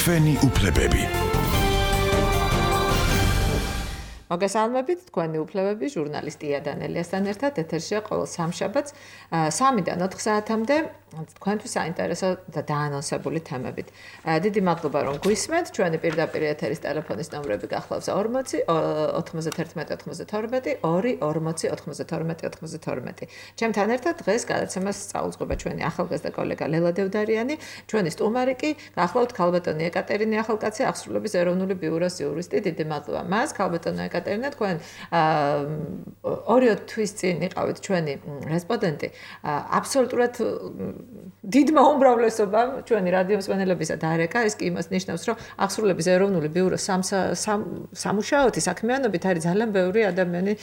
თქვენი უფლებები. მოგესალმებით, თქვენი უფლებები ჟურნალისტი იანელიასთან ერთად ეთერშია ყოველ სამშაბათს 3-დან 4 საათამდე თქვენთვის საინტერესო და დაანონსებული თემებით. დიდი მადლობა რომ გვისმენთ. ჩვენი პირდაპირ ეთერის ტელეფონის ნომრები გახლავს 40 91 92 2 40 92 92. ჩემთან ერთად დღეს გადაცემას წაუძღვება ჩვენი ახალგაზრდა კოლეგა ლელა დევდარიანი, ჩვენი სტუმარი კი გახლავთ ქალბატონი ეკატერინე ახალკაცი, აღსრულების ეროვნული ბიუროს იურისტი. დიდი მადლობა მას, ქალბატონი ეკატერინე, თქვენ 2 თვის წინ იყავით ჩვენი რესპონდენტი. აბსოლუტურად დიდმა უმრავლესობამ ჩვენი რადიო მსმენელებისა დარეკა. ეს კი იმას ნიშნავს, რომ აღსრულების ეროვნული ბიუროს სამუშაოთი საქმიანობით არის ძალიან ბევრი ადამიანი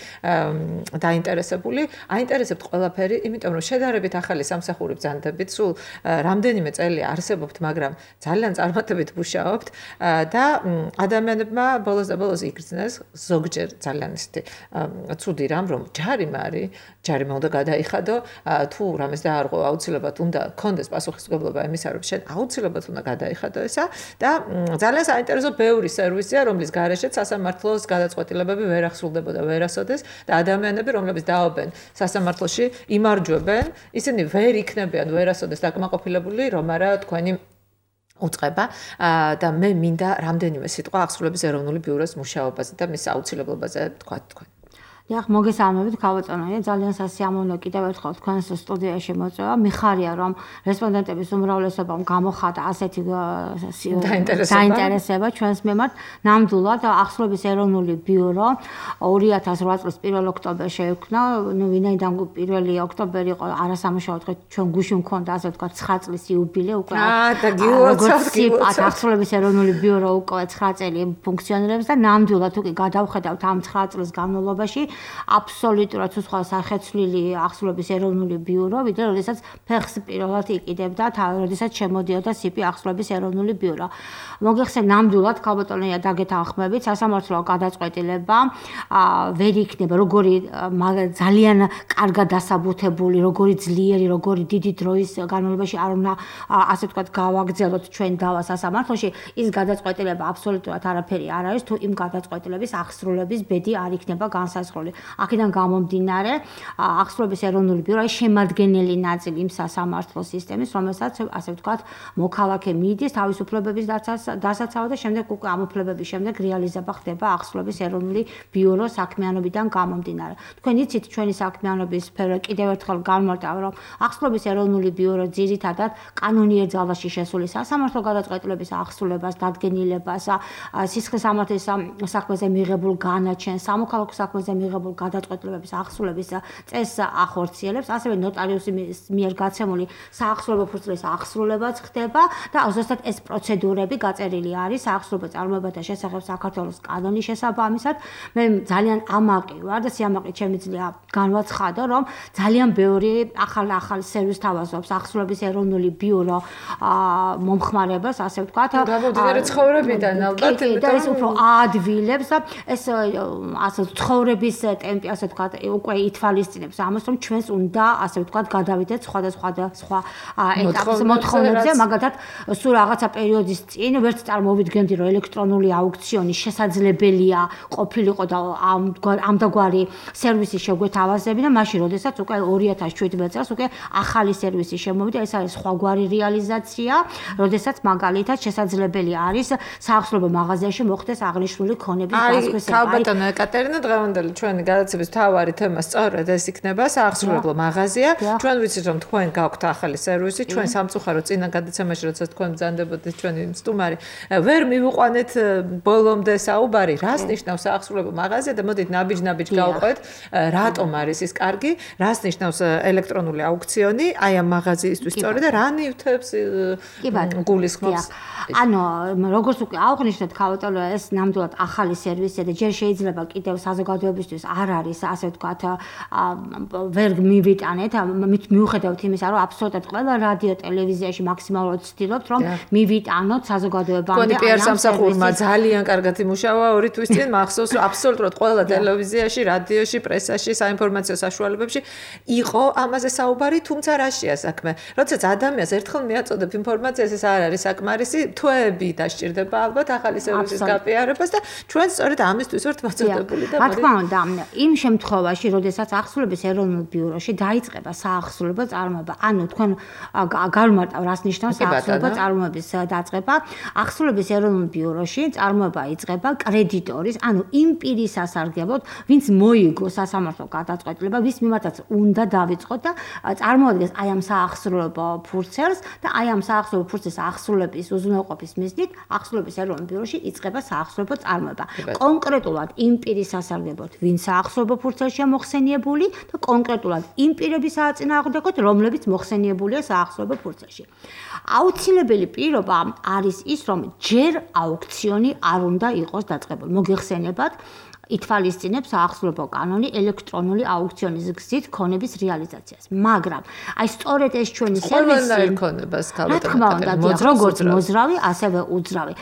დაინტერესებული. აინტერესებთ ყველაფერი, იმიტომ რომ შედარებით ახალი სამსახური ბრძანდებით, სულ რამდენიმე წელი არსებობთ, მაგრამ ძალიან წარმატებით მუშაობთ და ადამიანებმა ბოლოს და ბოლოს იგრძნეს ზოგჯერ ძალიან ისეთი ცუდი რამ, რომ ჯარიმა უნდა გადაიხადო, თუ რამეს დაარღვევ აუცილებლად უნდა კონდეს პასუხისმგებლობა იმისა, რომ შენ აუცილებლად უნდა გადაიხადო ესა და ძალიან საინტერესო ბევრი სერვისია, რომლის გარეშეც სასამართლოს გადაწყვეტილებები ვერ ახსრულდებოდა ვერასოდეს და ადამიანები, რომლებიც დაობენ სასამართლოში, იმარჯვებენ, ისინი ვერ იქნებიან ვერასოდეს დაკმაყოფილებული, რომ არა თქვენი უწყება და მე მინდა რამდენიმე სიტყვა აღსრულების ეროვნული ბიუროს მუშაობაზე და მის აუცილებლობაზე თქვა თქვენ. დიახ, მოგესალმებით, ქალბატონია, ძალიან სასიამოვნო კიდევ ერთხელ თქვენს სტუდიაში მოწვევა. მიხარია, რომ რესპონდენტების უმრავლესობამ გამოხატა ასეთი დაინტერესება ჩვენს მიმართ. ნამდვილად აღსრულების ეროვნული ბიურო 2008 წლის 1 ოქტომბერში შეიქმნა. ვინაიდან 1 ოქტომბერი იყო არასამუშაო დღე, ჩვენ გუშინ მქონდა ასე ვთქვათ 9 წლის იუბილე უკვე. და გილოცავთ აღსრულების ეროვნული ბიურო უკვე 9 წელი ფუნქციონირებს და ნამდვილად უკვე გადავხედავთ ამ 9 წლის განმავლობაში აბსოლუტურად სხვა სახეცვლილი აღსრულების ეროვნული ბიურო, ვიდრე როდესაც ფეხს პირველად იყიდებდა, როდესაც შემოდიოდა სიპი აღსრულების ეროვნული ბიურო. მოგეხსენ ნამდვილად ქალბატონია დაგეთანხმებით, სასამართლო გადაწყვეტილება ვერ იქნება როგორი ძალიან კარგად დასაბუთებული, როგორი ძლიერი, როგორი დიდი დროის განმავლობაში არ უნდა ასე ვთქვათ გავაგრძელოთ ჩვენ დავა სასამართლოში, ის გადაწყვეტილება აბსოლუტურად არაფერი არ არის, თუ იმ გადაწყვეტილების აღსრულების ბედი არ იქნება განსაზღვრული. აქედან გამომდინარე, აღსრულების ეროვნული ბიურო არის შემადგენელი ნაწილი იმ სასამართლო სისტემის, რომელსაც ასე ვთქვათ, მოქალაქე მიდის თავისუფლებების დასაცავად და შემდეგ უკვე ამ უფლებების შემდეგ რეალიზება ხდება აღსრულების ეროვნული ბიუროს საქმიანობიდან გამომდინარე. თქვენ იცით ჩვენი საქმიანობის სფერო კიდევ ერთხელ განმარტავ, რომ აღსრულების ეროვნული ბიურო ძირითადად კანონიერ ძალაში შესული სასამართლო გადაწყვეტილების აღსრულებას, დადგენილებას, სისხლის სამართლის საქმეზე მიღებულ განაჩენს, სამოქალაქო საქმეზე მიღებულ გადაწყვეტილებების აღსრულების წესს ახორციელებს, ასევე ნოტარიუსის მიერ გაცემული საახსრულებო ფურცლის აღსრულებაც ხდება და ზუსტად ეს პროცედურები გაწერილი არის საახსრულებო წარმოებათა შესახებ საქართველოს კანონის შესაბამისად. მე ძალიან ამაყი ვარ და სიამაყით შემიძლია განვაცხადო, რომ ძალიან ბევრი ახალ სერვისს თავაზობს აღსრულების ეროვნული ბიურო მომხმარებას, ასე ვთქვათ. გამომდინარე ცხოვრებიდან ალბათ, და ეს უფრო აადვილებს და ეს ასე ცხოვრების ტემპი ასე ვთქვათ უკვე ითვალისწინებს ამას, რომ ჩვენს უნდა ასე ვთქვათ გადავიდეთ სხვა ეტაპის მოთხოვნებზე, მაგალითად სულ რაღაცა პერიოდის წინ ვერც წარმოვიდგენდი, რომ ელექტრონული აუქციონი შესაძლებელია ყოფილიყო და ამდაგვარი სერვისი შეგვეთავაზებინა, მაშინ როდესაც უკვე 2017 წელს უკვე ახალი სერვისი შემოვიდა, ეს არის სხვაგვარი რეალიზაცია, როდესაც მაგალითად შესაძლებელი არის საახსრულებო მაღაზიაში მოხდეს აღნიშნული ქონების დასახვისება. ქალბატონო ეკატერინე, დღევანდელი ჩვენი გადაცემის მთავარი თემა სწორედ ეს იქნება, საახსრულებლო მაღაზია. ჩვენ ვიცით, რომ თქვენ გაქვთ ახალი სერვისი, ჩვენ სამწუხაროდ წინა გადაცემაში, როდესაც თქვენ ბრძანდებოდით ჩვენი სტუმარი, ვერ მივიყვანეთ ბოლომდე საუბარი, რას ნიშნავს საახსრულებლო მაღაზია და მოდით ნაბიჯ გავყვეთ, რატომ არის ის კარგი, რას ნიშნავს ელექტრონული აუქციონი, აი ამ მაღაზიისთვის სწორედ და რა ნივთებს გულისხმობს. ანუ როგორც უკვე აღნიშნეთ, ქალბატონო, ეს ნამდვილად ახალი სერვისია და ჯერ შეიძლება კიდევ საზოგადოებისთვის ჩვენთვის არ არის, ასე ვთქვათ, ვერ მივიტანეთ, მიუხედავთ იმისა, რომ აბსოლუტურად ყველა რადიო ტელევიზიაში მაქსიმალურად ვცდილობთ, რომ მივიტანოთ საზოგადოებამდე. კონი პიარ სამსახურმა ძალიან კარგად იმუშავა 2 თვის წინ, მახსოვს, რომ აბსოლუტურად ყველა ტელევიზიაში, რადიოში, პრესაში, საინფორმაციო საშუალებებში იყო ამაზე საუბარი, თუმცა რაშია საქმე? როდესაც ადამიანს ერთხელ მიაწოდებ ინფორმაციას, ეს არ არის საკმარისი, თვეები დასჭირდება ალბათ ახალი სერვისის გაპიარებას და ჩვენ სწორედ ამისთვის ვართ მოწოდებული და რა თქმა უნდა, იმ შემთხვევაში, როდესაც ახსოვების ეროვნულ ბიუროში დაიწყება საახსოვლებო წარმოება, ანუ თქვენ გავმარტავ რას ნიშნავს საახსოვლებო წარმოების დაწყება, ახსოვების ეროვნულ ბიუროში წარმოება იწყება კრედიტორის, ანუ იმ პირის სასარგებლოდ, ვინც მოიგო სასამართლო გადაწყვეტილება, ვის მიმართაც უნდა დავიწყოთ და წარმოადგენს აი ამ საახსოვლებო ფურცელს და აი ამ საახსოვლებო ფურცლის ახსოვების უზრუნველყოფის მიზნით ახსოვების ეროვნულ ბიუროში იწყება საახსოვლებო წარმოება. კონკრეტულად იმ პირის სასარგებლოდ, ვინც საახსოვებო ფურცელშია მოხსენიებული და კონკრეტულად იმ პირების საწინააღმდეგოდ, რომლებიც მოხსენიებულია საახსოვებო ფურცელში. აუცილებელი პირობა არის ის, რომ ჯერ აუქციონი არ უნდა იყოს დაწყებული. მოგეხსენებათ ითვალისწინებს საახსოვლებო კანონი ელექტრონული აუქციონის გზით ქონების რეალიზაციას. მაგრამ აი სწორედ ეს ჩვენი სერვისი ქონებას როგორც მოძრავი, ასევე უძრავი.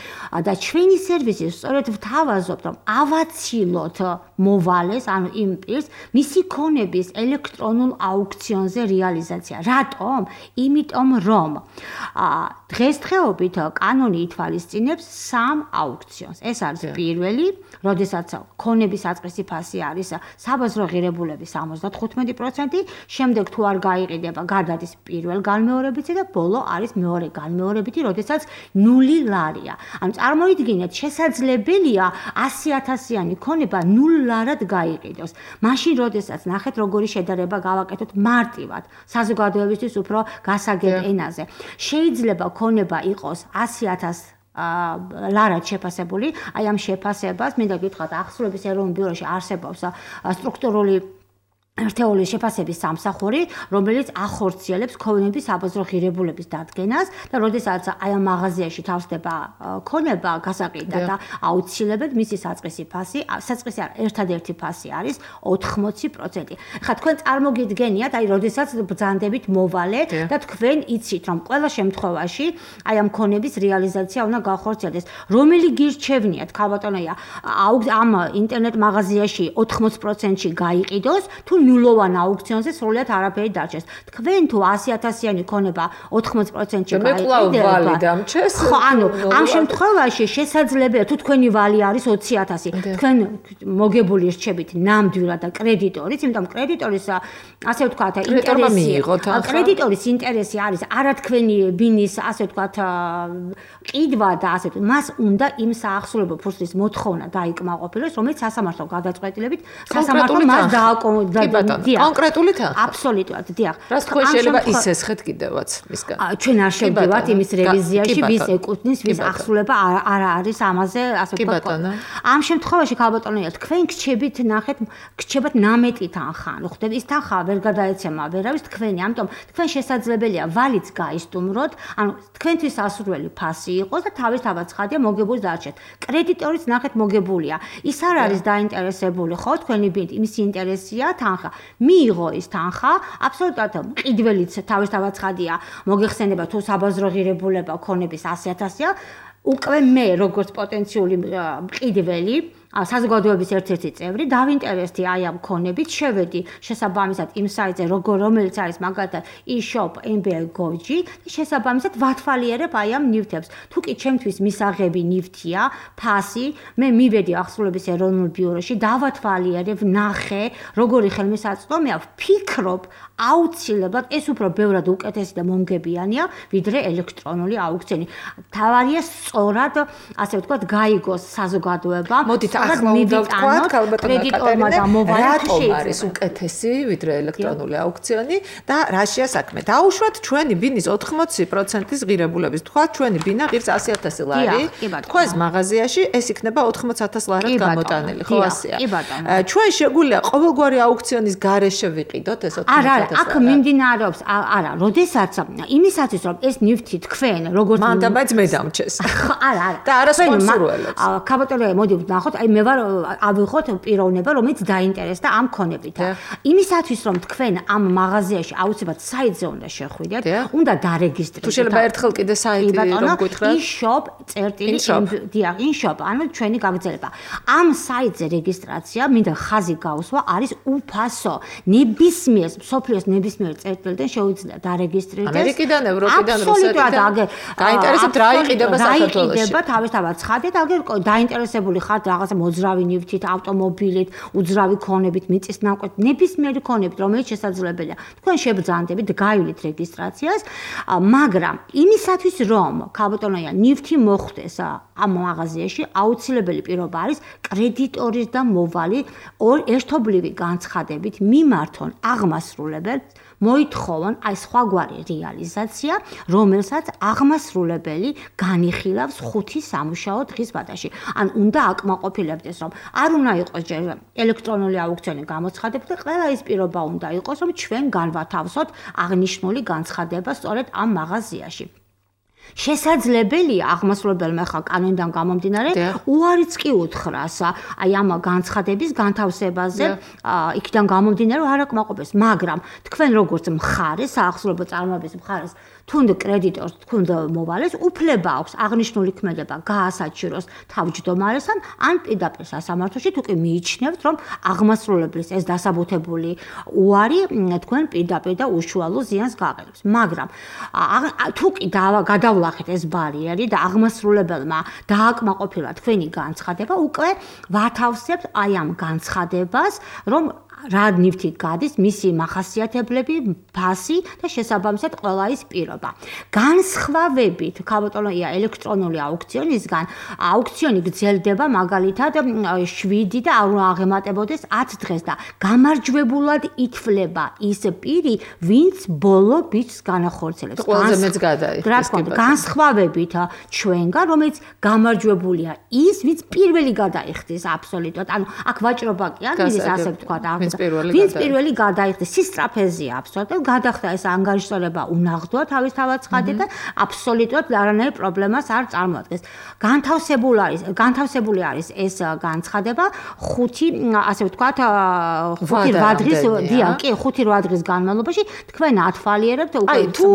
და ჩვენი სერვისი სწორედ ვთავაზობთ, რომ ავაცილოთ მოვალეს, ანუ იმ პირს, მისი ქონების ელექტრონულ აუქციონზე რეალიზაცია. რატომ? იმიტომ რომ დღესდღეობით კანონი ითვალისწინებს 3 აუქციონს. ეს არის პირველი, როდესაც ქონების საწყისი ფასი არის საბაზრო ღირებულების 75%, შემდეგ თუ არ გაიყიდება, გადადის პირველ განმეორებითი და ბოლო არის მეორე განმეორებითი, როდესაც 0 ლარია. ანუ წარმოიდგინეთ, შესაძლებელია 100.000-იანი ქონება 0 ლარად გაიყიდოს. მაშინ, როდესაც ნახეთ, როგორი შედარება გავაკეთოთ მარტივად საზოგადოებისთვის უფრო გასაგებ ენაზე. შეიძლება ქონება იყოს 100.000 ლარად შეფასებული, აი ამ შეფასებას მინდა გითხრათ, ახსოვების ეროვნულ ბიუროში არსებობს სტრუქტურული ერთეულის შეფასების სამსახური, რომელიც ახორციელებს ქონების საბაზრო ღირებულების დადგენას და როდესაც აი ამ მაღაზიაში თავსდება ქონება გასაყიდდა და აუცილებლად მისი საწყისი ფასი, საწყისი ერთადერთი ფასი არის 80%. ხა თქვენ წარმოგიდგენიათ, აი როდესაც ბრძანდებით მოვალე და თქვენ იცით, რომ ყველა შემთხვევაში აი ამ ქონების რეალიზაცია უნდა გახორციელდეს. რომელი გირჩევნიათ, ქალბატონია, ამ ინტერნეტ მაღაზიაში 80%-ში გაიყიდოს, თუ ნულოვან აუქციონზე სრულად არაფერი დარჩეს. თქვენ თუ 100.000-იანი ქონება 80%-ში გაიყიდება. ხო, ანუ ამ შემთხვევაში შესაძლებელია თუ თქვენი ვალი არის 20.000. თქვენ მოგებული რჩებით ნამდვილად და კრედიტორის, იმიტომ კრედიტორის ასე ვთქვათ, კრედიტორის ინტერესი არის არა თქვენი ბინის ასე ვთქვათ ყიდვა და ასე ვთქვათ, მას უნდა იმ საახსოვლებო ფურცლის მოთხოვნა დაიკმაყოფილოს, რომელიც სასამართლო გადაწყვეტილებით სასამართლო მას კონკრეტული თანხა. აბსოლუტურად, დიახ. რას თქვენ შეიძლება ისესხეთ კიდევაც მისგან? ჩვენ არ შევდივართ იმის რევიზიაში, ვის ეკუთვნის, ვის ახსოვება არ არის ამაზე, ასე ვთქვათ. ამ შემთხვევაში ქალბატონია, თქვენ გრჩებით, ნახეთ, გრჩებათ ნამეტი თანხა. ანუ ხდება ის თანხა ვერ გადაეცემა ვერავის თქვენი, ამიტომ თქვენ შესაძლებელია ვალიც გაისტუმროთ, ანუ თქვენთვის ასურველი ფასი იყოს და თავისთავად ცხადია მოგებული დარჩეთ. კრედიტორის ნახეთ მოგებულია. ის არ არის დაინტერესებული, ხო, თქვენი ბინით, იმის ინტერესია თანხა. მიიღო ის თანხა, აბსოლუტურად მყიდველიც თავისთავად ცხადია. მოგეხსენება თუ საბაზრო ღირებულება ქონების 100.000-ია, უკვე მე როგორც პოტენციური მყიდველი საზოგადოების ერთ-ერთი წევრი დავინტერესდი აი ამ ქონებით, შევედი შესაბამისად იმ საიტზე, რომელიც არის მაგალითად e-shop.mb.gov-ში და შესაბამისად ვათვალიერებ აი ამ ნივთებს. თუ კი ჩემთვის მისაღები ნივთია, ფასი, მე მივედი ახსოვების ეროვნულ ბიუროში, დავათვალიერებ, ნახე, როგორი ხელმისაწვდომია, ვფიქრობ, აუცილებლად ეს უფრო ბევრად უკეთესი და მომგებიანია, ვიდრე ელექტრონული აუქციონი. თავარია სწორად, ასე ვთქვათ, გაიგოს საზოგადოება. მოდით ახლა უნდა ვთქვათ, ქალბატონო კატერინა, რატომ არის უკეთესი ვიდრე ელექტრონული აუქციონი და რაშია საქმე? დაუშვათ ჩვენი ბინის 80%-ის ღირებულების. თქვათ, ჩვენი ბინა ღირს 100.000 ლარი. თქვენს მაღაზიაში ეს იქნება 80.000 ლარად გამოტანილი, ხო ასეა? ჩვენ შეგვიძლია ყოველგვარი აუქციონის გარეშე ვიყიდოთ ეს 80.000 ლარი. აქ მიმდინარეობს, არა, როდესაც იმისათვის რომ ეს ნივთი თქვენ როგორც მანდ მაინც მე დამჩეს. არა. და არა სპონსორველებს. ქალბატონო, მოდი ვნახოთ, აი მე ვარ ავიღოთ პიროვნება, რომელიც დაინტერესდა ამ ქონებით. იმისათვის რომ თქვენ ამ მაღაზიაში აუცილებლად საიტზე უნდა შეხვიდეთ, უნდა დარეგისტრირდეთ. თუ შეიძლება ერთხელ კიდე საიტი რომ გითხრათ. in-shop, ანუ ჩვენი გაგრძელება. ამ საიტზე რეგისტრაცია, მინდა ხაზი გავსვა, არის უფასო. ნებისმიერ სოფლიოს ნებისმიერ წერტილიდან შეუძლია დარეგისტრირდეს. ამერიკიდან, ევროპიდან, რუსეთიდან. გაინტერესებთ რა იყიდება საქართველოში. იყიდება თავისთავად ცხადეთ, აგერ დაინტერესებული ხართ რაღაცა მოძრავი ნივთით, ავტომობილით, უძრავი ქონებით, მიწის ნაკვეთ, ნებისმიერი ქონებით, რომელიც შესაძლებელია. თქვენ შებრძანდებით, გაივლით რეგისტრაციას, მაგრამ იმისათვის რომ ქალბატონია ნივთი მოხვდეს ამ მაღაზიაში, აუცილებელი პირობა არის კრედიტორის და მოვალი ერთობლივი განცხადებით მიმართონ აღმასრულებელს მოითხოვონ აი სხვაგვარი რეალიზაცია, რომელსაც აღმასრულებელი განიხილავს 5 სამუშაო დღის ვადაში. ან უნდა აკმაყოფილებდეს, რომ არ უნდა იყოს ჯერ ელექტრონული აუქციონი გამოცხადებული და ყველა ის პირობა უნდა იყოს, რომ ჩვენ განვათავსოთ აღნიშნული განცხადება სწორედ ამ მაღაზიაში. შესაძლებელია აღმასრულებელმა ხა კანონიდან გამომდინარე უარიც კი უთხრას აი ამ განცხადების განთავსებაზე იქიდან გამომდინარე არ აკმაყოფილებს მაგრამ თქვენ როგორც მხარეს საახსრუებო წარმოების მხარეს თუნდ კრედიტორს თუნდ მოვალეს უფლება აქვს აღნიშნული ქმედება გაასაჩიროს თავმჯდომარესთან ან პირდაპირ სასამართლოში თუ კი მიიჩნევთ რომ აღმასრულებლის ეს დასაბუთებული უარი თქვენ პირდაპირ და უშუალო ზიანს გაყენებს მაგრამ თუ კი გადავლახეთ ეს ბარიერი და აღმასრულებელმა დააკმაყოფილა თქვენი განცხადება უკვე ვათავსებთ აი ამ განცხადებას რომ რა ნივთი გადის მისი მახასიათებლები ფასი და შესაბამისად ყველა ის პირობა განსხვავებით ქალბატონია ელექტრონული აუქციონისგან აუქციონი გრძელდება მაგალითად 7 და არ აღემატებოდეს 10 დღეს და გამარჯვებულად ითვლება ის პირი ვინც ბოლო ბიჭს განახორციელებს ყველაზე მეც გადაიხდის განსხვავებით ჩვენგან რომელიც გამარჯვებულია ის ვინც პირველი გადაიხდის აბსოლუტურად ანუ აქ ვაჭრობა კი არ მიდის ასე ვთქვა ვინც პირველი გადაიხდეს სისტრაფეზია აბსოლუტურად გადახდა ეს ანგარიშსწორება უნაღდოა თავისთავად ცხადეთ და აბსოლუტურად არანაირ პრობლემას არ წარმოადგენს განთავსებული არის ეს განცხადება 5 ასე ვთქვათ 5-8 დღის კი 5-8 დღის განმავლობაში თქვენ ათვალიერებთ უკვე თუ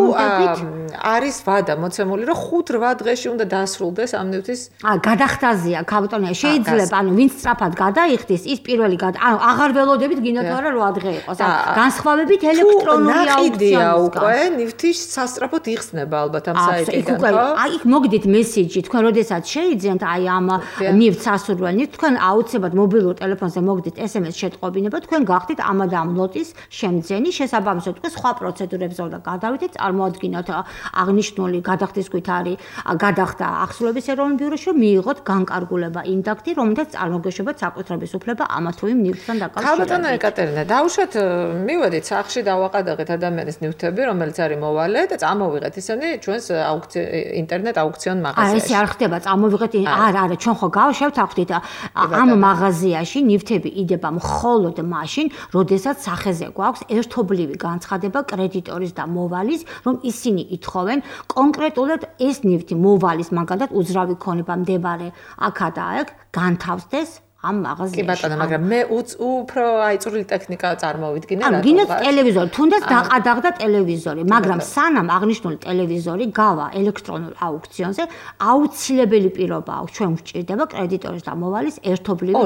არის ვადა მოცემული რომ 5-8 დღეში უნდა დასრულდეს ამ ნივთის გადახდაზეა ქალბატონია შეიძლება ანუ ვინც სწრაფად გადაიხდის ის პირველი ანუ აღარ ველოდებით გინდათ არა 8 დღე იყოს განსხვავებით ელექტრონული აუქციონია უკვე ნივთის სასწრაფოდ იხსნება ალბათ ამ საიტიდან ხო აი იქ მოგდით მესიჯი თქვენ როდესაც შეიძენთ აი ამ ნივთს სასურველ ნივთს თქვენ აუცილებლად მობილურ ტელეფონზე მოგდით SMS შეტყობინება თქვენ გახდით ამ და ამ ლოტის შემძენი შესაბამისად თქვენ სხვა პროცედურებზე უნდა გადავიდეთ წარმოადგინოთ აღნიშნული გადახდის ქვით არის გადახდა ახსოვების ეროვნულ ბიუროში რომ მიიღოთ განკარგულება ინდაქტი რომელთაც წარმოგეშვებათ საკუთრების უფლება ამა თუ იმ ნივთთან დაკავშირებით ეკატერინე, დავუშვათ მივედით სახლში დავაყადაღეთ ადამიანის ნივთები, რომელიც არის მოვალე და წამოვიღეთ ისინი ჩვენს ინტერნეტ აუქციონ მაღაზიაში. ეს არ ხდება, წამოვიღეთ არა, ჩვენ ხო გავშევთ აღვდით ამ მაღაზიაში ნივთები იდება მხოლოდ მაშინ, როდესაც სახეზე გვაქვს ერთობლივი განცხადება კრედიტორის და მოვალის, რომ ისინი ითხოვენ კონკრეტულად ეს ნივთი მოვალის მაგალითად უძრავი ქონება მდებარე აქა და აქ განთავსდეს ამ მაღაზიაში. კი ბატონო, მაგრამ მე უფრო აი წვრილი ტექნიკა წარმოვიდგინე რა. გინდათ ტელევიზორი, თუნდაც დაყადაღდა ტელევიზორი, მაგრამ სანამ აღნიშნული ტელევიზორი გავა ელექტრონულ აუქციონზე, აუცილებელი პირობა აქვს, ჩვენ გვჭირდება კრედიტორის და მოვალის ერთობლივი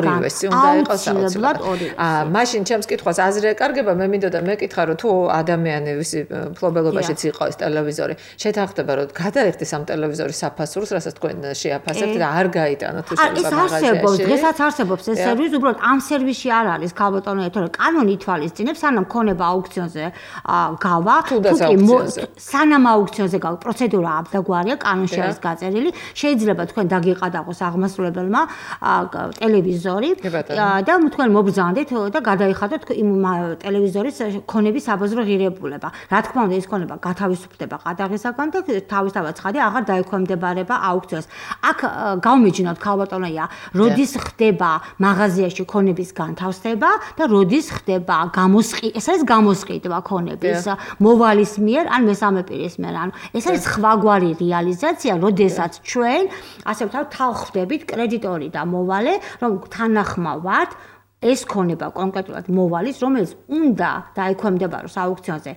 აუცილებლად ორივე. მაშინ ჩემს კითხვას აზრი ეკარგება, მე მინდოდა მეკითხა რომ თუ ადამიანი ვისი ფლობელობაშიც იყო ეს ტელევიზორი, შეთანხმდება რომ გადაიხდეს ამ ტელევიზორის საფასურს, რასაც თქვენ შეაფასებთ და არ გაიტანოთ თუ შეიძლება მაღაზიაში. დღესაც არსებობს ეს სერვისი, უბრალოდ ამ სერვისში არ არის ქალბატონო, თორე კანონი ითვალისწინებს, სანამ ქონება აუქციონზე გავა, სანამ აუქციონზე გავა, პროცედურა აბდაგვარია, კანონში არის გაწერილი, შეიძლება თქვენ დაგიყადაღოს აღმასრულებელმა ტელევიზორი და თქვენ მობრძანდეთ და გადაიხადოთ იმ ტელევიზორის ქონების საბაზრო ღირებულება. რა თქმა უნდა, ეს ქონება გათავისუფლდება ყადაღისაგან და თავისთავად ცხადია, აღარ დაექვემდებარება აუქციონს. აქ გავმიჯნოთ ქალბატონოია, როდის ხდება მაღაზიაში ქონების განთავსება და როდის ხდება ეს არის გამოსყიდვა ქონების მოვალის მიერ ან მესამე პირის მიერ. ანუ ეს არის სხვაგვარი რეალიზაცია, როდესაც ჩვენ ასე ვთქვათ თავხდებით კრედიტორი და მოვალე, რომ თანახმავართ ეს ქონება კონკრეტულად მოვალის, რომელიც უნდა დაექვემდებაროს აუქციონზე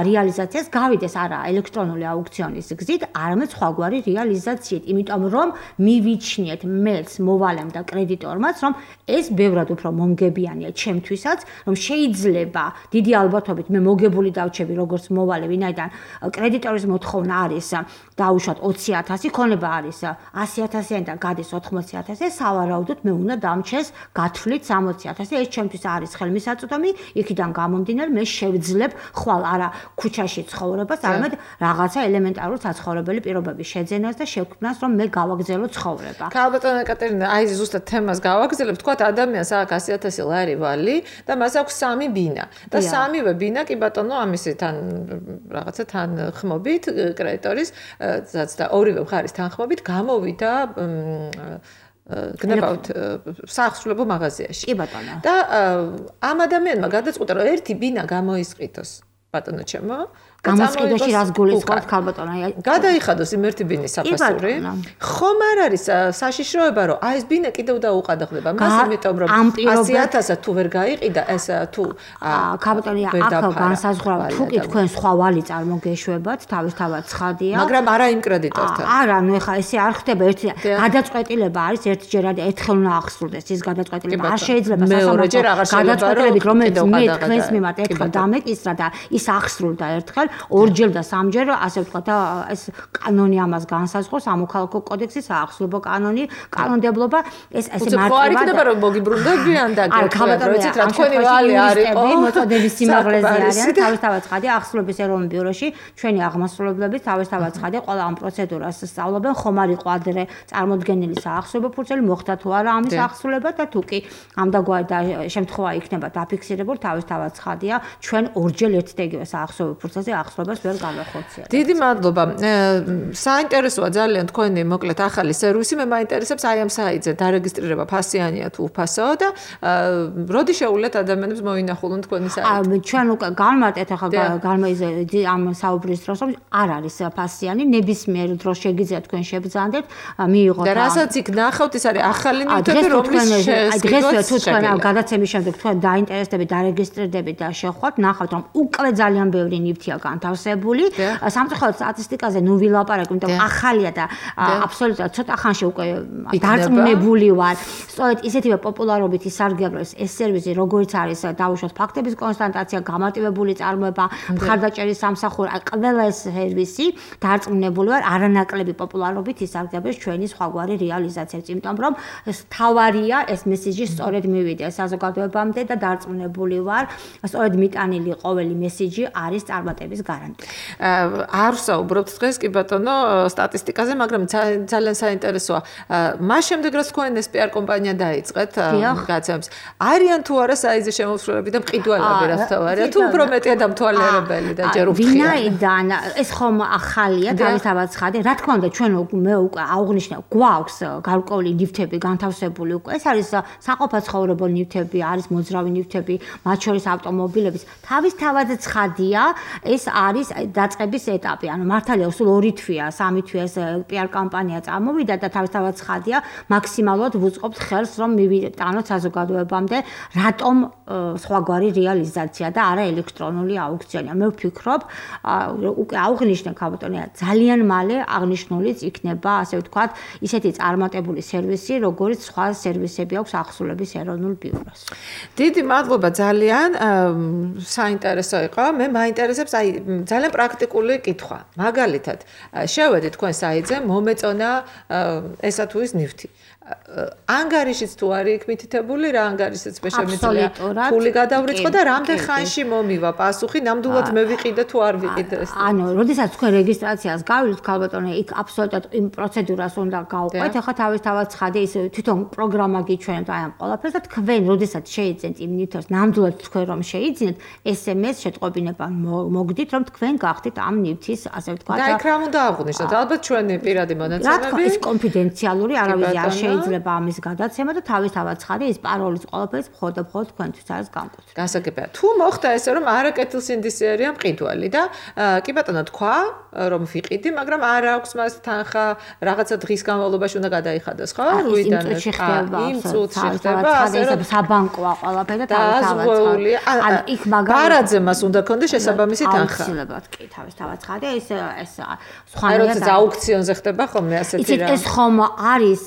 რეალიზაციას, გავიდეს არა ელექტრონული აუქციონის გზით, არამედ სხვაგვარი რეალიზაციით, იმიტომ რომ მივიჩნიეთ მეც მოვალემ და კრედიტორმაც, რომ ეს ბევრად უფრო მომგებიანია ჩემთვისაც, რომ შეიძლება დიდი ალბათობით მე მოგებული დავჩები როგორც მოვალე, ვინაიდან კრედიტორის მოთხოვნა არის დაუშვათ 20,000, ქონება არის 100,000-იანი და გადის 80,000, სავარაუდოდ მე უნდა დამჩეს გათვლით 60,000. ეს ჩემთვის არის ხელმისაწვდომი, იქიდან გამომდინარე მე შევძლებ ხვალ არა ქუჩაში ცხოვრებას, არამედ რაღაცა ელემენტარულ საცხოვრებელი პირობების შეძენას და შექმნას, რომ მე გავაგზელო ცხოვრება. ქალბატონო ეკატერინე, აი ზუსტად თემას გავაგზავნებ, თქვათ ადამიანს აქვს 100,000 ლარი ვალი და მას აქვს 3 ბინა. და სამივე ბინა კი ბატონო ამისი თან რაღაცა თან ხმობით კრედიტორის და ორივე მხარის თანხმობით გამოვიდა გნებავთ საახსრულებო მაღაზიაში. კი ბატონო. და ამ ადამიანმა გადაწყვიტა რომ ერთი ბინა გამოისყიდოს. ბატონო ჩემო, გამოსყიდვაში რას გულისხმობთ ქალბატონო? გადაიხადოს იმ ერთი ბინის საფასური. ხომ არ არის საშიშროება რომ აი ეს ბინა კიდევ დაუყადაღდება მას, იმიტომ რომ 100,000 თუ ვერ გაიყიდა ეს თუ ქალბატონია აქ განსაზღვრავ თუ კი თქვენ სხვა ვალი წარმოგეშვებათ, თავისთავად ცხადია. მაგრამ არა იმ კრედიტორთან. არა, ნუ ეხლა ესე არ ხდება ერთი გადაწყვეტილება არის ერთჯერად ერთხელ უნდა აღსრულდეს ის გადაწყვეტილება. არ შეიძლება მეორეჯერ აღარ შეიძლება გადაწყვეტილებით რომელიც მე თქვენს მიმართ ერთხელ დამეკისრა და ის აღსრულდა ერთხელ ორჯერ და სამჯერ, ასე ვთქვათ, ეს კანონი ამას განსაზღვრავს, სამოქალაქო კოდექსის საახსრულებო კანონი, კანონმდებლობა, ეს ესე მარტივად. ხო, არ იქნება რომ მოგიბრუნდებიან და გქონდეთ რა თქვენი ვალი არის, მოწოდების სიმაღლეზე არიან, თავისთავად ცხადია ახსრულების ეროვნულ ბიუროში, ჩვენი აღმასრულებლები თავისთავად ცხადია, ყველა ამ პროცედურას სწავლობენ, ხომ არ იყო ადრე წარმოდგენილი საახსრულებო ფურცელი, მოხდა თუ არა ამის ახსრულება და თუ კი ამდაგვარი და შემთხვევა იქნება დაფიქსირებული, თავისთავად ცხადია, ჩვენ ორჯერ ერთ და იგივე საახსრულებო ფურცელზე ახსრობას ვერ გავახორციელებთ. დიდი მადლობა. საინტერესოა ძალიან თქვენი მოკლედ ახალი სერვისი. მე მაინტერესებს აი ამ საიტზე დარეგისტრირება ფასიანია თუ უფასოა და როდი შეუულიათ ადამიანებს მოინახულონ თქვენი საიტი? ჩვენ უკვე განმარტეთ ახლა ამ საუბრის დროს რომ არ არის ფასიანი, ნებისმიერ დროს შეგიძლიათ თქვენ შეგზანდეთ, მიიღოთ. და რასაც იქ ნახავთ, ეს არის ახალი ნივთები, რომლის დღესვე თუ თქვენ გადაცემის შემდეგ თქვენ დაინტერესდებით, დარეგისტრირდებით და შევხვდით, ნახავთ რომ უკვე ძალიან ბევრი ნივთია განთავსებული. სამწუხაროდ სტატისტიკაზე ნუ ვილაპარაკებ, იმიტომ ახალია და აბსოლუტურად ცოტა ხანში უკვე დარწმუნებული ვარ. სწორედ ისეთივე პოპულარობით ისარგებლოს ეს სერვისი, როგორც არის დაუშვათ ფაქტების კონსტატაცია, გამარტივებული წარმოება, მხარდაჭერის სამსახური, ყველა ეს სერვისი დარწმუნებული ვარ, არანაკლები პოპულარობით ისარგებლოს ჩვენი სხვაგვარი რეალიზაციით, იმიტომ რომ თავარია ეს მესიჯი სწორედ მივიდა საზოგადოებამდე და დარწმუნებული ვარ, სწორედ მიტანილი ყოველი მესიჯი არის წარმატების გარანტია. არ ვსაუბრობთ დღეს კი ბატონო სტატისტიკაზე, მაგრამ ძალიან საინტერესოა. მას შემდეგ რაც თქვენ ეს PR კომპანია დაიწყეთ გაცემს, არიან თუ არა საიზი შემოსვლები და მყიდველები რაც თავარია, თუ უფრო მეტია დამთვალიერებელი და ჯერ უფრთხილად. ვინაიდან ეს ხომ ახალია, თავისთავად ცხადია. რა თქმა უნდა, ჩვენ მე უკვე აღვნიშნე, გვაქვს გარკვეული ნივთები განთავსებული უკვე. ეს არის საყოფაცხოვრებო ნივთები, არის მოძრავი ნივთები, მათ შორის ავტომობილების. თავისთავად ცხადია, ეს არის დაწყების ეტაპი. ანუ მართალია, სულ 2 თვეა, 3 თვეა ეს PR კამპანია წარმოვიდა და თავისთავად ცხადია, მაქსიმალურად ვუწყობთ ხელს, რომ მივიტანოთ საზოგადოებამდე, რატომ სხვაგვარი რეალიზაცია და არა ელექტრონული აუქციონია. მე ვფიქრობ, უკვე აღვნიშნე ქალბატონია, ძალიან მალე აღნიშნულიც იქნება, ასე ვთქვათ, ისეთი წარმატებული სერვისი, როგორც სხვა სერვისები აქვს ახსრულების ეროვნულ ბიუროს. დიდი მადლობა ძალიან, საინტერესო იყო. მე მაინტერესებს აი ძალიან პრაქტიკული კითხვა. მაგალითად, შევედით თქვენ საიტზე, მომეწონა ესა თუ ის ნივთი. ანგარიშიც თუ არის იქ მითითებული, რა ანგარიშიც მე შემიძლია ფული გადავრიცხო და რამდენ ხანში მომივა პასუხი, ნამდვილად მე ვიყიდე თუ არ ვიყიდე ეს. ანუ, როდესაც თქვენ რეგისტრაციას გავიდით, ქალბატონო, იქ აბსოლუტურად იმ პროცედურას უნდა გავყვეთ. ახლა თავისთავად ცხადია, ის თვითონ პროგრამა გიჩვენებთ აი ამ ყველაფერს და თქვენ, როდესაც შეიძენთ იმ ნივთებს, ნამდვილად თქვენ რომ შეიძინეთ, SMS შეტყობინება მოგდით, რომ თქვენ გახდით ამ ნივთის, ასე ვთქვათ. და იქ რა უნდა აღვნიშნოთ? ალბათ ჩვენი პირადი მონაცემები. რა თქმა უნდა, ეს კონფიდენციალური, არავის არ შეიძლება ამის გადაცემა და თავისთავად ცხადია ის პაროლის ყველაფერს მხოლოდ თქვენთვის არის განკუთვნილი. გასაგებია. თუ მოხდა ესე რომ არა კეთილსინდისი არია მყიდველი და კი ბატონო თქვა რომ ვიყიდი, მაგრამ არ აქვს მას თანხა, რაღაცა დღის განმავლობაში უნდა გადაიხადოს, ხო? რუიდან იმ წუთში ხდება, ასე რომ საბანკოა ყველაფერი და თავისთავად. ან იქ მაგალითად ბარაძე მას უნდა ქონდეს შესაბამისი თანხა. აუცილებლად კი თავისთავად ცხადია ეს აი როცა აუქციონზე ხდება ხოლმე ასეთი რა. ეს ხომ არის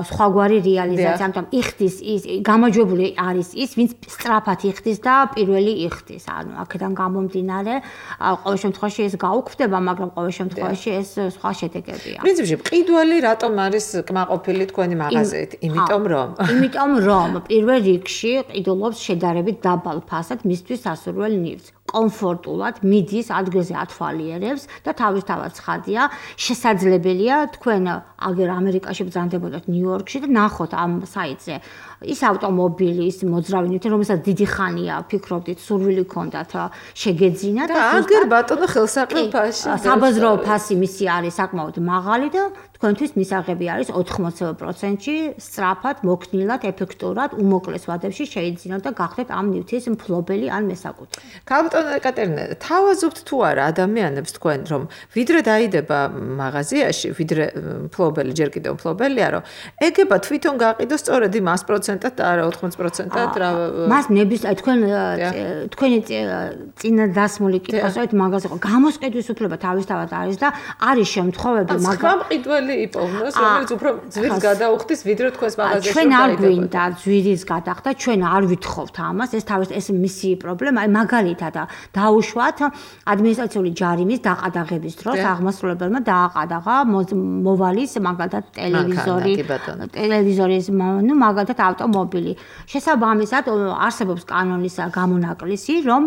სხვაგვარი რეალიზაცია, ამიტომ იხდის ის გამარჯვებული არის ის, ვინც სწრაფად იხდის და პირველი იხდის. ანუ აქედან გამომდინარე, ყოველ შემთხვევაში ეს გაუქმდება, მაგრამ ყოველ შემთხვევაში ეს სხვა შედეგებია. პრინციპში მყიდველი რატომ არის კმაყოფილი თქვენი მაღაზიით? იმიტომ რომ პირველ რიგში ყიდულობს შედარებით დაბალ ფასად მისთვის სასურველ ნივთს. კომფორტულად მიდის ადგილზე ათვალიერებს და თავისთავად ცხადია, შესაძლებელია თქვენ აგერ ამერიკაში ბრძანდებოდეთ ნიუ-იორკში და ნახოთ ამ საიტზე ის ავტომობილი, ის მოძრავი ნივთი, რომელსაც დიდი ხანია ფიქრობდით, სურვილი ქონდათ შეგეძინათ და აგერ ბატონო ხელსაყრელ ფასში. საბაზრო ფასი მისი არის საკმაოდ მაღალი და თქვენთვის მისაღები არის 80%-ში სწრაფად, მოქნილად, ეფექტურად, უმოკლეს ვადებში შეიძინოთ და გახდეთ ამ ნივთის მფლობელი ან მესაკუთრე. ბატონო ეკატერინე, თავაზობთ თუ არა ადამიანებს თქვენ რომ ვიდრე დაიდება მაღაზიაში, ვიდრე მფლობელი ჯერ კიდევ მფლობელია, რომ ეგება თვითონ გაყიდოს სწორედ იმ 100%-ად და არა 80%-ად რა მას ნების თქვენი წინა დასმული კითხვასავით მაგაზე ხო გამოსყიდვის უფლება თავისთავად არის და არის შემთხვევები მაგრამ მყიდველი იპოვნოს რომელიც უფრო ძვირს გადაუხდის ვიდრე თქვენს მაღაზიაში ჩვენ არ გვინდა ძვირის გადახდა ჩვენ არ ვითხოვთ ამას ეს თავის ეს მისი პრობლემა აი მაგალითად დაუშვათ ადმინისტრაციული ჯარიმის დაყადაღების დროს აღმასრულებელმა დააყადაღა მოვალის მაგალითად ტელევიზორის ნუ მაგალითად ავტომობილი შესაბამისად არსებობს კანონის გამონაკლისი რომ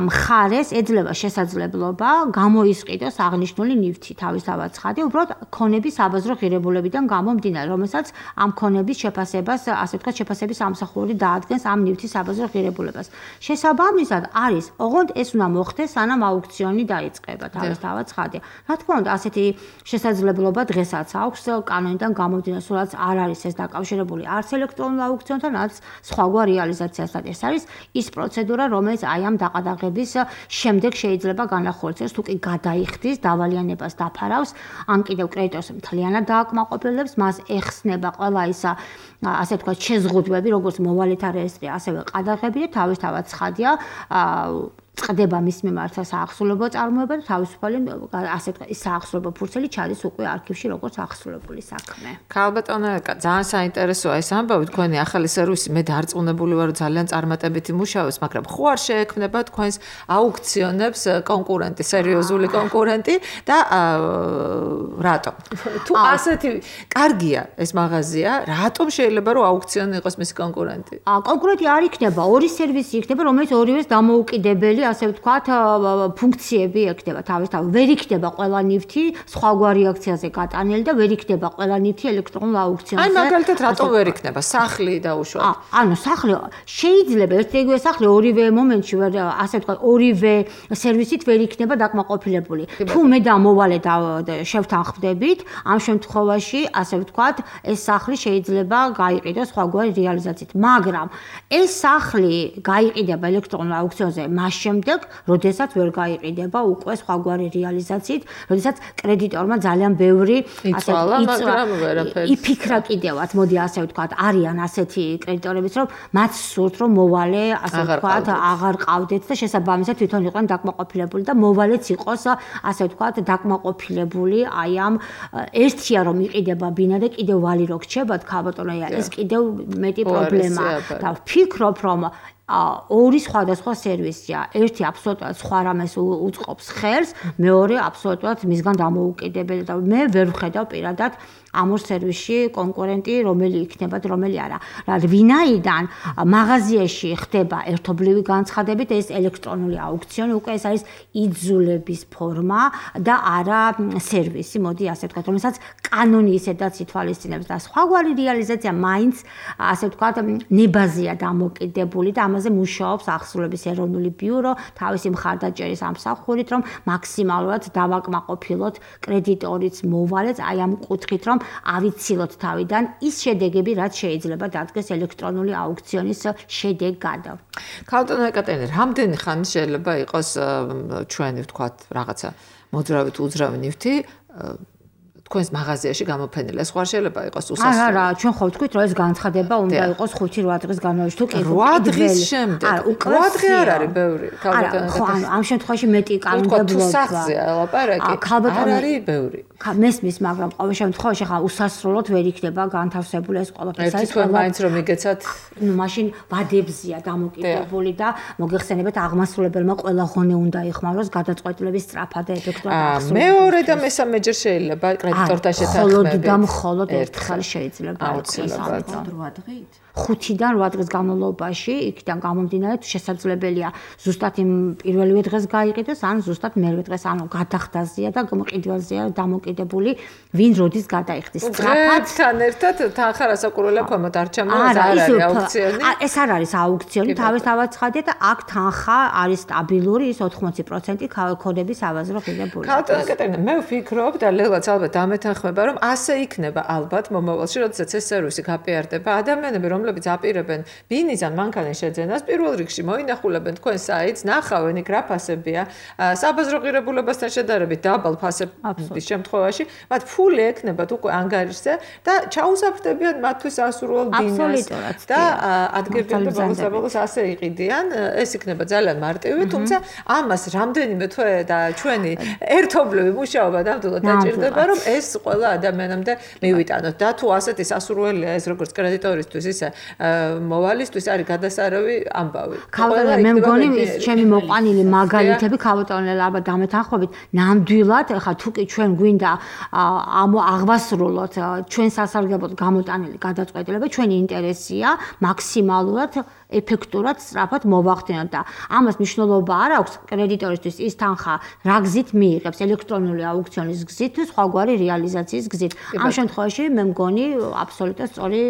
მხარეს ეძლევა შესაძლებლობა გამოისყიდოს აღნიშნული ნივთი თავისთავად ცხადია უბრალოდ ქონების საბაზრო ღირებულებიდან გამომდინარე რომელსაც ამ ქონების შეფასებას ასე ვთქვათ შეფასების ამსახურდი დაადგენს ამ ნივთის საბაზრო ღირებულებას შესაბამისად არის ოღონდ ეს უნდა მოხდეს სანამ აუქციონი დაიწყება თავისთავად ცხადია რა თქმა უნდა ასეთი შესაძლებლობა დღესაც აქვს კანონიდან გამომდინარე სულაც არ არის ეს დაკავშირებული არც ელექტრონულ აუქციონთან არც სხვაგვარ რეალიზაციასთან ეს არის ის პროცედურა რომელიც აი ამ დაყადაღების შემდეგ შეიძლება განახორციელოს თუ კი გადაიხდის დავალიანებას დაფარავს ან კიდევ კრედიტორს მთლიანად დააკმაყოფილებს მას ეხსნება ყველა ის ასე ვთქვათ შეზღუდვები როგორც მოვალეთა რეესტრი ასევე ყადაღები და თავისთავად ცხადია წდება მის მიმართ საახსრულებო წარმოება და თავისუფალი ასე ვთქვათ ის საახსრულებო ფურცელი ჩადის უკვე არქივში როგორც აღსრულებული საქმე. ქალბატონო ძალიან საინტერესოა ეს ამბავი თქვენი ახალი სერვისი მე დარწმუნებული ვარ ძალიან წარმატებით იმუშავებს მაგრამ ხო არ შეექმნება თქვენს აუქციონებს კონკურენტი სერიოზული კონკურენტი და რატომ? თუ ასეთი კარგია ეს მაღაზია რატომ შეიძლება რომ აუქციონი იყოს მისი კონკურენტი? კონკურენტი არ იქნება ორი სერვისი იქნება რომელიც ორივეს დამოუკიდებელი ასე ვთქვათ ფუნქციები ექნება თავისთავად ვერ იქნება ყველა ნივთი სხვაგვარი აქციაზე გატანილი და ვერ იქნება ყველა ნივთი ელექტრონულ აუქციონზე აი მაგალითად რატომ ვერ იქნება სახლი დაუშვათ ანუ სახლი შეიძლება ერთგვარი სახლი ორივე მომენტში ვერ ასე ვთქვათ ორივე სერვისით ვერ იქნება დაკმაყოფილებული თუ მე და მოვალე შევთანხმდებით ამ შემთხვევაში ასე ვთქვათ ეს სახლი შეიძლება გაიყიდოს სხვაგვარი რეალიზაციით მაგრამ ეს სახლი გაიყიდება ელექტრონულ აუქციონზე მაშინ შემდეგ, როდესაც ვერ გაიყიდება უკვე სხვაგვარი რეალიზაციით, როდესაც კრედიტორმა ძალიან ბევრი იფიქრა კიდევაც, მოდი ასე ვთქვათ, არიან ასეთი კრედიტორებიც, რომ მათ სურთ, რომ მოვალე, ასე ვთქვათ, აღარ ყავდეთ და შესაბამისად თვითონ იყვნენ დაკმაყოფილებული და მოვალეც იყოს, ასე ვთქვათ, დაკმაყოფილებული აი ამ ერთია რომ იყიდება ბინა და კიდევ ვალი რო გრჩებათ, ქალბატონო, ეს კიდევ მეტი პრობლემაა და ვფიქრობ, რომ ორი სხვადასხვა სერვისია. ერთი აბსოლუტურად სხვა რამეს უწყობს ხელს, მეორე აბსოლუტურად მისგან დამოუკიდებელი და მე ვერ ვხედავ პირადად ამ ორ სერვისში კონკურენტი რომელი იქნება და რომელი არა. ვინაიდან მაღაზიაში ხდება ერთობლივი განცხადებით ეს ელექტრონული აუქციონი უკვე ეს არის იძულების ფორმა და არა სერვისი, მოდი ასე ვთქვათ, რომელსაც კანონი ისედაც ითვალისწინებს და სხვაგვარი რეალიზაცია მაინც ასე ვთქვათ ნებაზია დამოკიდებული და ამაზე მუშაობს აღსრულების ეროვნული ბიურო თავისი მხარდაჭერის ამსახურით რომ მაქსიმალურად დავაკმაყოფილოთ კრედიტორიც მოვალეც აი ამ კუთხით რომ ავიცილოთ თავიდან ის შედეგები, რაც შეიძლება დადგეს ელექტრონული აუქციონის შედეგად. ქალბატონო ეკატერინე, რამდენი ხანი შეიძლება იყოს ჩვენი ვთქვათ რაღაცა მოძრავით უძრავი ნივთი თქვენს მაღაზიაში გამოფენილი. ეს ხوار შეიძლება იყოს უსასრულო. არა, ჩვენ ხო ვთქვით, რომ ეს განცხადება უნდა იყოს 5-8 დღის განმავლობაში თუ კი 8 დღის შემდეგ. 8 დღე არ არის ბევრი. ქალბატონო ხო, ამ შემთხვევაში მეტი კანონმდებლობა. სახზეა ლაპარაკი. არ არის ბევრი. მესმის, მაგრამ ყოველ შემთხვევაში ხა უსასრულოდ ვერ იქნება განთავსებული ეს ყველაფერი. ეს თქვენ მაინც რომ იგეცათ, მაშინ ვადებზია დამოკიდებული და მოგეხსენებათ აღმასრულებელმა ყველა ღონე უნდა იხმაროს გადაწყვეტილების სწრაფად და ეფექტურად აღსრულება. მეორე და მესამე ჯერ შეიძლება კრედიტორთან შეთანხმებით. მხოლოდ და მხოლოდ ერთხელ შეიძლება აუცილებლად 8 დღით. 5-დან 8 დღის განმავლობაში იქიდან გამომდინარე შესაძლებელია ზუსტად იმ პირველივე დღეს გაიყიდოს ან ზუსტად მერვე დღეს, ანუ გადახდაზეა და მყიდველზეა დამოკიდებული, ვინ როდის გადაიხდის. სწრაფად ერთად თანხა რასაკურველია ქვემოთ არ ჩამოვა, არ არის აუქციონი. ეს არ არის აუქციონი, თავისთავად ცხადია და აქ თანხა არის სტაბილური, ის 80% ქონების ავაზრო ღირებული. ქალბატონო ეკატერინე, მე ვფიქრობ და ლელაც ალბათ დამეთანხმება, რომ ასე იქნება ალბათ მომავალში, როდესაც ეს სერვისი გაპიარდება, ადამიანები რომლებიც აპირებენ ბინიზან მანქანის შეძენას, პირველ რიგში მოინახულებენ თქვენ საიტს, ნახავენ იქ რა ფასებია, საბაზრო ღირებულებასთან შედარებით დაბალ ფასების შემთხვევაში, მათ ფული ექნებათ უკვე ანგარიშზე და ჩაუსაფრდებიან მათთვის ასურველ ბინას და ადგილობრივ ბოლოს ასე იყიდიან, ეს იქნება ძალიან მარტივი, თუმცა ამას რამდენიმე თვე და ჩვენი ერთობლივი მუშაობა ნამდვილად დაჭირდება, რომ ეს ყველა ადამიანამდე მივიტანოთ და თუ ასეთი სასურველია ეს როგორც კრედიტორისთვის, ისე მოვალისთვის არის გადასარევი ამბავი. ქალბატონო, მე მგონი ის ჩემი მოყვანილი მაგალითები ქალბატონო ალბათ დამეთანხმებით, ნამდვილად ხა თუ კი ჩვენ გვინდა აღვასრულოთ ჩვენ სასარგებლოდ გამოტანილი გადაწყვეტილება, ჩვენი ინტერესია მაქსიმალურად ეფექტურად სწრაფად მოვახდინოთ და ამას მნიშვნელობა არ აქვს კრედიტორისთვის ის თანხა რა გზით მიიღებს ელექტრონული აუქციონის გზით თუ სხვაგვარი რეალიზაციის გზით. ამ შემთხვევაში მე მგონი აბსოლუტურად სწორი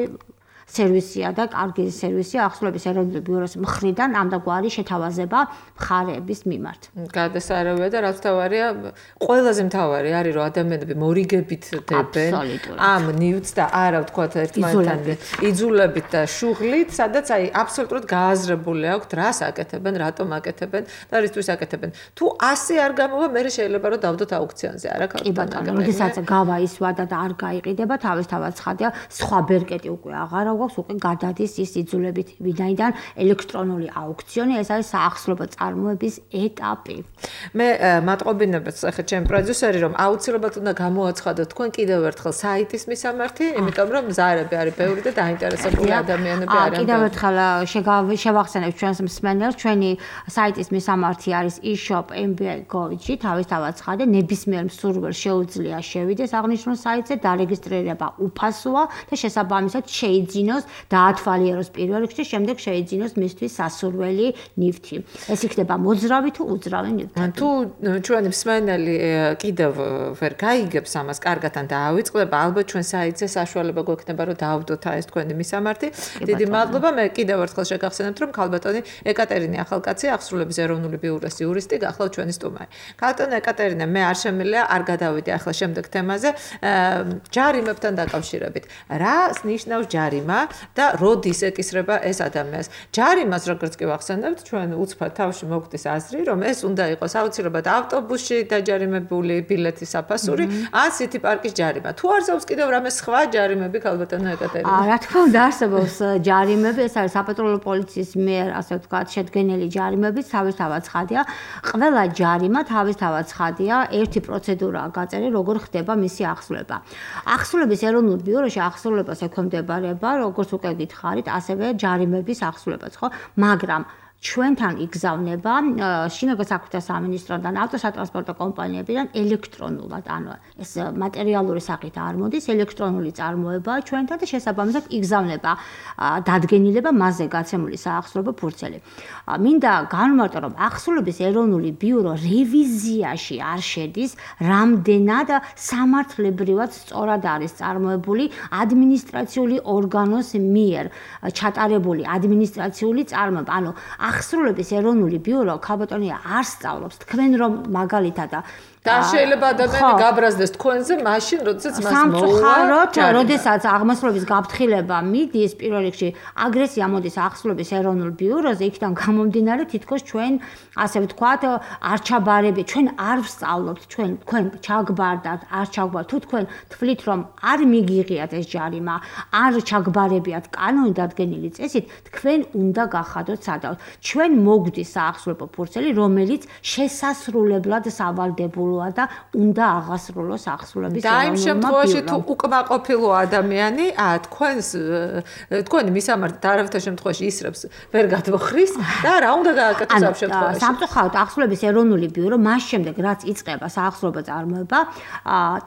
სერვისია და კარგი სერვისია ახსნების ეროვნული ბიუროს მხრიდან ამდაგვარი შეთავაზება მხარეების მიმართ. გადასარევია და რაც თავარია, ყველაზე მთავარი არის რომ ადამიანები მორიგებით დებენ ამ ნიუტს და არა ვთქვათ ერთმანეთთან იძულებით და შუღლით, სადაც აი აბსოლუტურად გააზრებული აქვთ რას აკეთებენ, რატომ აკეთებენ და რისთვის აკეთებენ. თუ ასე არ გამოვა, მე შეიძლება რომ დავდოთ აუქციონზე, არა კი ბატონო, როდესაც გავა ის ვადა და არ გაიყიდება, თავისთავად ცხადია, სხვა ბერკეტი უკვე აღარა გვაქვს, უკვე გადადის ის იძულებით, ვინაიდან ელექტრონული აუქციონი ეს არის საახსრობო წარმოების ეტაპი. მე მატყობინებთ ახლა ჩემი პროდიუსერი რომ აუცილებლად უნდა გამოაცხადოთ თქვენ კიდევ ერთხელ საიტის მისამართი, იმიტომ რომ მზარები არის ბევრი და დაინტერესებული ადამიანები არიან. კიდევ ერთხელ შევახსენებთ ჩვენს მსმენელს, ჩვენი საიტის მისამართი არის e-shop.mba.gov-ში, თავისთავად ცხადია, ნებისმიერ მსურველს შეუძლია შევიდეს აღნიშნულ საიტზე, დარეგისტრირება უფასოა და შესაბამისად შეიძინოს დაათვალიეროს პირველ რიგში, შემდეგ შეიძინოს მისთვის სასურველი ნივთი. ეს იქნება მოძრავი თუ უძრავი ნივთი. თუ ჩვენი მსმენელი კიდევ ვერ გაიგებს ამას კარგად ან დაავიწყდება, ალბათ ჩვენ საიტზე საშუალება გვექნება რომ დაავდოთ ეს თქვენი მისამართი. დიდი მადლობა. მე კიდევ ერთხელ შეგახსენებთ რომ ქალბატონი ეკატერინე ახალკაცი ახსრულების ეროვნული ბიუროს იურისტი გახლავთ ჩვენი სტუმარი. ქალბატონო ეკატერინე, მე არ შემიძლია არ გადავიდე ახლა შემდეგ თემაზე ჯარიმებთან დაკავშირებით. რა ნიშნავს ჯარიმა და როდის ეკისრება ეს ადამიანს? ჯარიმას როგორც კი ვახსენებთ, ჩვენ უცბად თავში მოგვდის აზრი, რომ ეს უნდა იყოს აუცილებლად ავტობუსში დაჯარიმებული ბილეთის საფასური, ან სიტი პარკის ჯარიმა. თუ არსებობს კიდევ რამე სხვა ჯარიმები ქალბატონო ეკატერინე? რა თქმა უნდა არსებობს ჯარიმები, ეს არის საპატრულო პოლიციის მიერ, ასე ვთქვათ, შედგენილი ჯარიმები, თავისთავად ცხადია. ყველა ჯარიმა თავისთავად ცხადია, ერთი პროცედურაა გაწერილი, როგორ ხდება მისი ახსრულება. ახსრულების ეროვნულ ბიუროში ახსრულებას ექვემდებარება, როგორც უკვე გითხარით, ასევე ჯარიმების ახსრულებაც, ხო? მაგრამ ჩვენთან იგზავნება შინაგან საქმეთა სამინისტროდან, ავტოსატრანსპორტო კომპანიებიდან ელექტრონულად, ანუ ეს მატერიალური სახით არ მოდის, ელექტრონული წარმოებაა ჩვენთან და შესაბამისად იგზავნება დადგენილება მასზე გაცემული საახსრულებო ფურცელი. მინდა განვმარტო, რომ ახსრულების ეროვნული ბიურო რევიზიაში არ შედის, რამდენად სამართლებრივად სწორად არის წარმოებული ადმინისტრაციული ორგანოს მიერ ჩატარებული ადმინისტრაციული წარმოება, ანუ ახსრულების ეროვნული ბიურო ქალბატონია არ სწავლობს თქვენ რომ მაგალითად და შეიძლება ადამიანი გაბრაზდეს თქვენზე მაშინ როდესაც მას სამწუხაროდ როდესაც აღმასრულების გაფრთხილება მიდის პირველ რიგში აგრესია მოდის ახსრულების ეროვნულ ბიუროზე იქიდან გამომდინარე თითქოს ჩვენ ასე ვთქვათ არ ჩაბარები ჩვენ არ ვსწავლობთ თქვენ ჩაგბარდათ არ ჩაგბარდათ თუ თქვენ თვლით რომ არ მიგიღიათ ეს ჯარიმა არ ჩაგბარებიათ კანონით დადგენილი წესით თქვენ უნდა გახადოთ სადავთ ჩვენ მოგდის საახსრულებო ფურცელი რომელიც შესასრულებლად სავალდებულოა და უნდა აღასრულოს ახსრულების ეროვნულმა ბიურომ. და იმ შემთხვევაში თუ უკმაყოფილო ადამიანი თქვენი მისამართი არავითარ შემთხვევაში ისრებს ვერ გადმოხრის და რა უნდა გააკეთოს ამ შემთხვევაში? სამწუხაროდ ახსრულების ეროვნული ბიურო მას შემდეგ რაც იწყება საახსრულებო წარმოება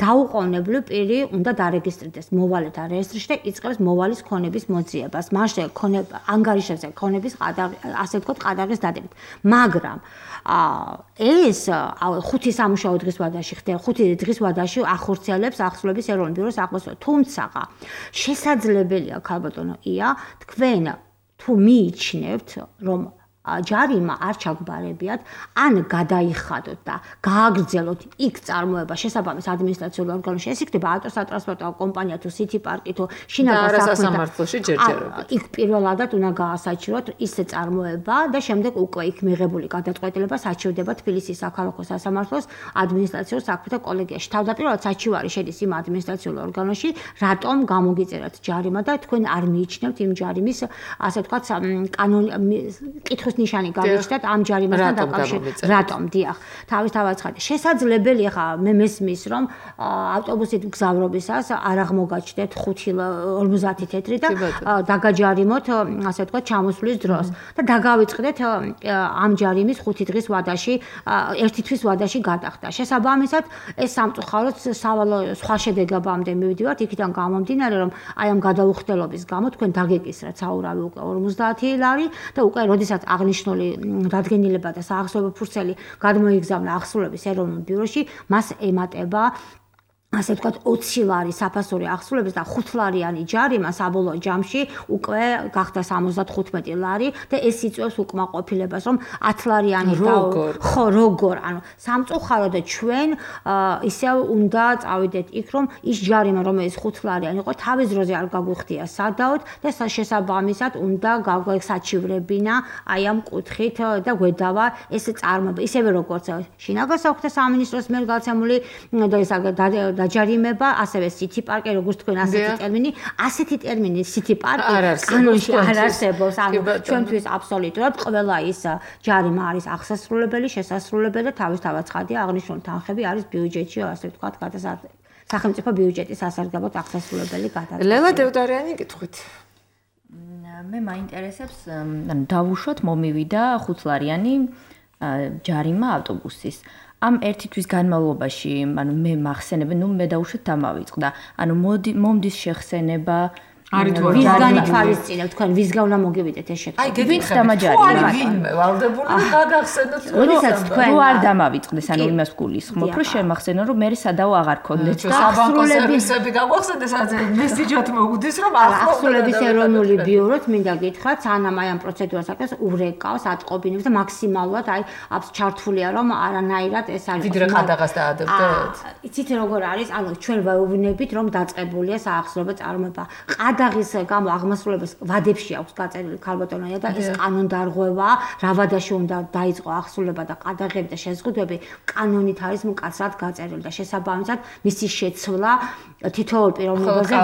დაუყოვნებლივ პირი უნდა დარეგისტრირდეს მოვალეთა რეესტრში და იწყებს მოვალის ქონების მოძიებას. მას ანგარიშებზე ქონების ასე ვთქვათ ყადაღის დადებით. მაგრამ ეს 5 სამუშაო დღის ვადაში ხდება 5 დღის ვადაში ახორციელებს ახსრულების ეროვნულ ბიუროს აღმასრულებელს. თუმცა შესაძლებელია ქალბატონო ია თქვენ თუ მიიჩნევთ რომ ჯარიმა არ ჩაგბარებიათ ან გადაიხადოთ და გააგრძელოთ იქ წარმოება შესაბამის ადმინისტრაციულ ორგანოში ეს იქნება ავტოსატრანსპორტო კომპანია თუ სიტი პარკი თუ შინაგან სასამართლოში ჯერჯერობით იქ პირველადად უნდა გაასაჩივროთ ისე წარმოება და შემდეგ უკვე იქ მიღებული გადაწყვეტილება საჩივდება თბილისის საქალაქო სასამართლოს ადმინისტრაციულ საქმეთა კოლეგიაში თავდაპირველად საჩივარი შედის იმ ადმინისტრაციულ ორგანოში რატომ გამოგიწერათ ჯარიმა და თქვენ არ მიიჩნევთ იმ ჯარიმის ასე ვთქვათ კითხვის ნიშანი გავიჩნდათ ამ ჯარიმასთან დაკავშირებით. რატომ? დიახ. თავისთავად ცხადია. შესაძლებელია ხა მე მესმის რომ ავტობუსით გზავრობისას არ აღმოგაჩნდეთ 5:50 თეთრი და დაგაჯარიმოთ ასე ვთქვათ ჩამოსვლის დროს და დაგავიწყდეთ ამ ჯარიმის 5 დღის ვადაში 1 თვის ვადაში გადახდა. შესაბამისად ეს სამწუხაროდ სავალო სხვა შედეგებამდე მივიდივართ იქიდან გამომდინარე რომ აი ამ გადაუხდელობის გამო თქვენ დაგეკისრათ საურავი უკვე 50 ლარი და უკვე როდესაც აღნიშნული დადგენილება და საახსრულებო ფურცელი გადმოიგზავნა ახსრულების ეროვნულ ბიუროში მას ემატება ასე ვთქვათ 20 ლარი საფასური ახსრულების და 5 ლარიანი ჯარიმა საბოლოო ჯამში უკვე გახდა 75 ლარი და ეს იწვევს უკმაყოფილებას რომ 10 ლარიანი ხო როგორ ანუ სამწუხაროდ ჩვენ ისევ უნდა წავიდეთ იქ რომ ის ჯარიმა რომელიც 5 ლარიანი იყო თავის დროზე არ გაგვიხდია სადავთ და შესაბამისად უნდა გაგვექსაჩივრებინა აი ამ კუთხით და გვედავა ეს წარმოება ისევე როგორც შინაგან საქმეთა სამინისტროს მიერ გაცემული და დაჯარიმება, ასევე სიტი პარკი, როგორც თქვენ ასეთი ტერმინი, ასეთი ტერმინი სიტი პარკი კანონში არ არსებობს. ანუ ჩვენთვის აბსოლუტურად ყველა ის ჯარიმა არის აღსასრულებელი, შესასრულებელი და თავისთავად ცხადია აღნიშნული თანხები არის ბიუჯეტში, ასე ვთქვათ, სახელმწიფო ბიუჯეტის სასარგებლოდ აღსასრულებელი გადადგა. ლელა დევდარიანი კითხვით. მე მაინტერესებს, ანუ დავუშვათ მომივიდა 5 ლარიანი ჯარიმა ავტობუსის. ამ ერთი თვის განმავლობაში, ანუ მე მახსენებ, მე დავუშვათ დამავიწყდა. ანუ მომდის შეხსენება ვისგანი თვალისწინებთ თქვენ ვისგან უნდა მოგივიდეთ ეს შეთქვა. აი ვინც დამაჯარია. ვინმე ვალდებული გაგახსენოთ როდესაც თქვენ რო არ დამავიწყდეს, ანუ იმას გულისხმობ, რომ შემახსენო რომ მე სადაო აღარ ქონდეთ და საბანკო სერვისები გაგვახსენდეს, მესიჯად მოგდის რომ ახსრულების ეროვნული ბიუროც მინდა გითხრათ, სანამ აი ამ პროცედურას აკეთებს, ურეკავს, ატყობინებს და მაქსიმალურად აი აბს ჩართულია რომ არანაირად ეს არ ვიდრე ყადაღას დაადებდეთ. იცით როგორ არის? ანუ ჩვენ ვეუბნებით რომ დაწყებულია საახსრულებო წარმოება. გადაღის გამო აღმასრულებელს ვადებში აქვს გაწერილი ქალბატონია და ეს კანონდარღვევა რა ვადაში უნდა დაიწყო ახსრულება და ყადაღები და შეზღუდვები კანონით არის მკაცრად გაწერილი და შესაბამისად მისი შეცვლა თითოეულ პიროვნებაზე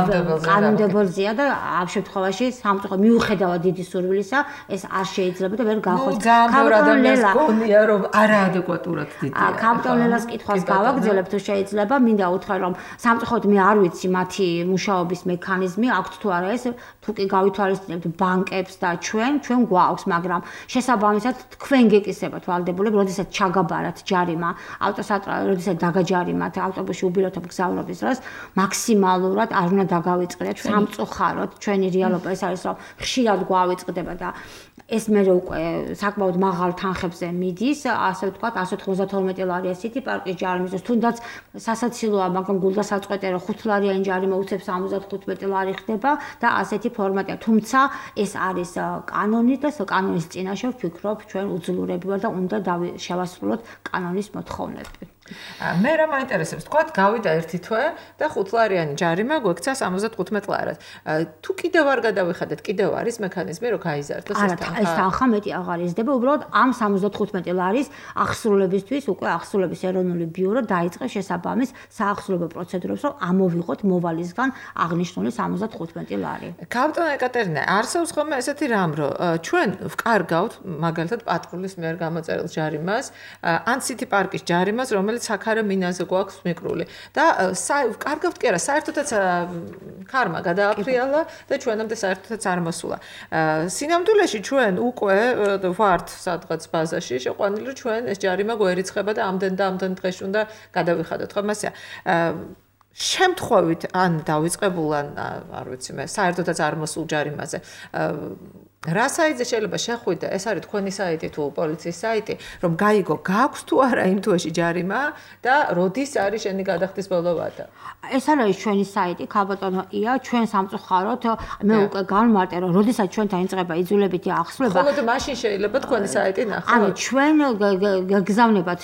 კანონმდებელზეა და ამ შემთხვევაში სამწუხაროდ მიუხედავად დიდი სურვილისა ეს არ შეიძლება და ვერ გახოს. ქალბატონელას გონია რომ არაადეკვატურად დიდია. ქალბატონელას კითხვას გავაგრძელებ თუ შეიძლება მინდა უთხრა რომ სამწუხაროდ მე არ ვიცი მათი მუშაობის მექანიზმი აქვთ თუ არა ეს თუ კი გავითვალისწინებთ ბანკებს და ჩვენ გვაქვს მაგრამ შესაბამისად თქვენ გეკისრებათ ვალდებულებ როდესაც ჩაგაბარათ ჯარიმა როდესაც დაგაჯარიმათ ავტობუსში უბილოთობ გზავრობის დროს მაქსიმალურად არ უნდა დაგავიწყდეთ სამწუხაროდ ჩვენი რეალობა ეს არის რომ ხშირად გვავიწყდება და ეს მე უკვე საკმაოდ მაღალ თანხებზე მიდის, ასე ვთქვათ, 192 ლარი ასეთი პარკის ჯარიმის, თუნდაც სასაცილოა, მაგრამ გულდასაწყვეტია რომ 5 ლარიანი ჯარიმა უცებ 75 ლარი ხდება და ასეთი ფორმატია. თუმცა ეს არის კანონი და კანონის წინაშე ვფიქრობ, ჩვენ უძლურები ვარ და უნდა შევასრულოთ კანონის მოთხოვნები. მე რა მაინტერესებს, თქვათ, გავიდა ერთი თვე და 5 ლარიანი ჯარიმა გვექცა 75 ლარად. თუ კიდევ არ გადავიხადეთ, კიდევ არის მექანიზმი, რომ გაიზარდოს ეს თანხა? ეს თანხა მეტი აღარ იზრდება, უბრალოდ ამ 75 ლარის აღსრულებისთვის უკვე აღსრულების ეროვნული ბიურო დაიწყეს შესაბამის საახსრულებო პროცედურებს, რომ ამოვიღოთ მოვალისგან აღნიშნული 75 ლარი. კაპიტან ეკატერინა, არსებობს ხოლმე ესეთი რამ, რომ ჩვენ ვკარგავთ მაგალითად პატრულის მიერ გამოწერილ ჯარიმას, ან სიტი პარკის ჯარიმას, რომელიც საქარე მინაზე გვაქვს მიკრული და ვკარგავთ კი არა, საერთოდაც ქარმა გადააფრიალა და ჩვენამდე საერთოდაც არ მოსულა. სინამდვილეში ჩვენ უკვე ვართ სადღაც ბაზაში შეყვანილი, რომ ჩვენ ეს ჯარიმა გვერიცხება და ამდენ და ამდენ დღეში უნდა გადავიხადოთ, ხო? მასეა. შემთხვევით ან დავიწყებულან, არ ვიცი მე, საერთოდაც არ მოსულ ჯარიმაზე. რა საიტზე შეიძლება შეხვიდე, ეს არის თქვენი საიტი თუ პოლიციის საიტი, რომ გაიგო, გაქვს თუ არა იმ თვეში ჯარიმა და როდის არის შენი გადახდის ბოლო ვადა. ეს არის ჩვენი საიტი, ქალბატონო ია, ჩვენ სამწუხაროდ მე უკვე განმარტე, რომ როდესაც ჩვენთან იწყება იძულებითი აღსრულება, ხოლმე მაშინ შეიძლება თქვენი საიტი ნახოთ. ანუ ჩვენ გაგზავნებათ